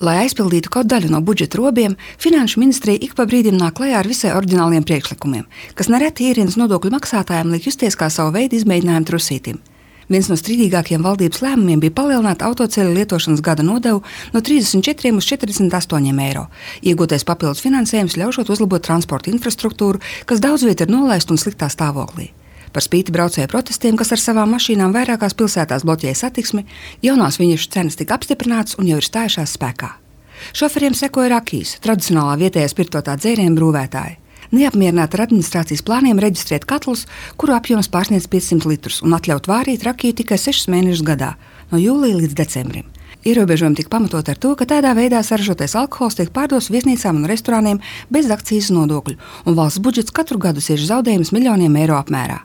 Lai aizpildītu kaut daļu no budžeta robiem, Finanšu ministrija ik pa brīdim nāk klajā ar visai oriģināliem priekšlikumiem, kas nereti ierīnas nodokļu maksātājiem liek justies kā savu veidu izmēģinājumu trusītim. Viens no strīdīgākajiem valdības lēmumiem bija palielināt autoceļu lietošanas gada nodevu no 34 uz 48 eiro. Iegūtais papildus finansējums ļaušot uzlabot transporta infrastruktūru, kas daudz viet ir nolaista un sliktā stāvoklī. Par spīti braucēju protestiem, kas ar savām mašīnām vairākās pilsētās bloķēja satiksmi, jaunās viņiešu cenas tika apstiprinātas un jau ir stājušās spēkā. Šoferiem sekoja Rakijas, tradicionālā vietējā spirtotā dzērienu brūvētāja. Neapmierināti ar administrācijas plāniem reģistrēt katlus, kuru apjoms pārsniedz 500 litrus, un atļaut vārīt Rakiju tikai 6 mēnešus gadā, no jūlija līdz decembrim. Ierobežojumi tika pamatot ar to, ka tādā veidā saražotais alkohols tiek pārdots viesnīcām un restorāniem bez akcīzes nodokļu, un valsts budžets katru gadu cieš zaudējumus miljoniem eiro apmērā.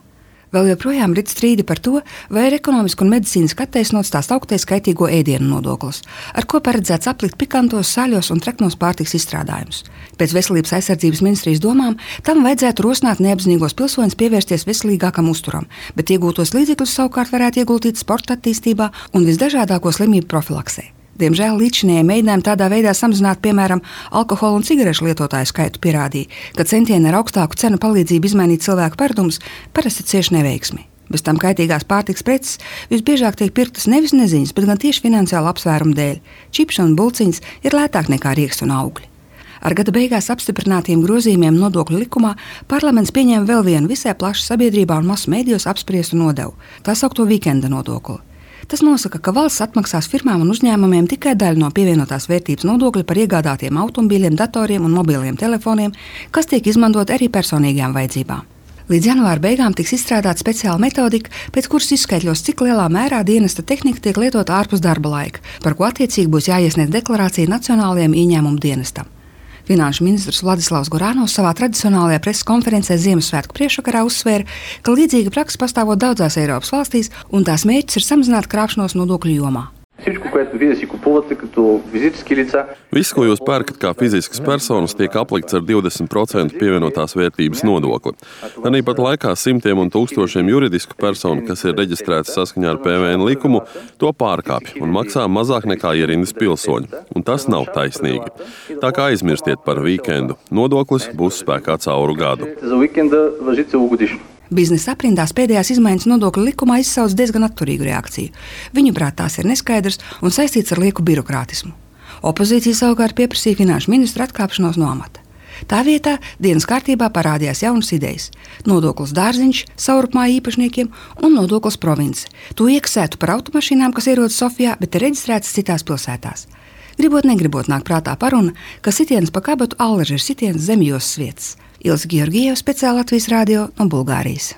Vēl joprojām rit strīdi par to, vai ir ekonomiski un medicīniski attaisnots tās augtais kaitīgo ēdienu nodoklis, ar ko paredzēts aplikt pikantos, saļos un treknos pārtiks izstrādājumus. Pēc Veselības aizsardzības ministrijas domām tam vajadzētu rosināt neapzinīgos pilsoņus pievērsties veselīgākam uzturam, bet iegūtos līdzekļus savukārt varētu ieguldīt sporta attīstībā un visdažādāko slimību profilaksē. Diemžēl līdzinējie mēģinājumi tādā veidā samazināt, piemēram, alkohola un cigarešu lietotāju skaitu pierādīja, ka centieni ar augstāku cenu palīdzību izmainīt cilvēku paradumus parasti cieš neveiksmi. Bez tam kaitīgās pārtikas preces visbiežāk tiek pirktas nevis neziņas, bet gan tieši finansiālu apsvērumu dēļ. Čipsi un bulciņas ir lētāk nekā rieksti un augļi. Ar gada beigās apstiprinātiem grozījumiem nodokļu likumā parlaments pieņēma vēl vienu visai plaši sabiedrībā un masu mēdījos apspriestu nodevu, tā saukto vikenda nodokli. Tas nosaka, ka valsts atmaksās firmām un uzņēmumiem tikai daļu no pievienotās vērtības nodokļa par iegādātiem automobīļiem, datoriem un mobiliem telefoniem, kas tiek izmantot arī personīgajām vajadzībām. Līdz janvāra beigām tiks izstrādāta speciāla metodika, pēc kuras izskaidros, cik lielā mērā dienesta tehnika tiek lietota ārpus darba laika, par ko attiecīgi būs jāiesniedz deklarācija Nacionālajiem ieņēmumu dienestam. Finanšu ministrs Vladislavs Goranovs savā tradicionālajā preses konferencē Ziemassvētku priekšvakarā uzsvēra, ka līdzīga praksa pastāvot daudzās Eiropas valstīs, un tās mērķis ir samazināt krāpšanos nodokļu jomā. Viss, ko jūs pērkat kā fiziskas personas, tiek aplikts ar 20% pievienotās vērtības nodokli. Tāpat laikā simtiem un tūkstošiem juridisku personu, kas ir reģistrētas saskaņā ar PVN likumu, to pārkāpj un maksā mazāk nekā ierindas pilsoņi. Un tas nav taisnīgi. Tā kā aizmirstiet par vikendu. Nodoklis būs spēkā cauru gadu. Biznesa aprindās pēdējās izmaiņas nodokļu likumā izsauc diezgan atturīgu reakciju. Viņuprāt, tās ir neskaidras un saistīts ar lieku birokrātismu. Opozīcija savukārt pieprasīja finanšu ministru atkāpšanos no amata. Tā vietā dienas kārtībā parādījās jaunas idejas – nodoklis dārziņš savrupmā īpašniekiem un nodoklis province. To iekasētu par automašīnām, kas ierodas Sofijā, bet ir reģistrētas citās pilsētās. Gribot, negribot nāk prātā paruna, ka sitienas pa kabatu allaži ir sitienas zem jostas vietas. Ilze Georgieva, speciāli Latvijas radio no Bulgārijas.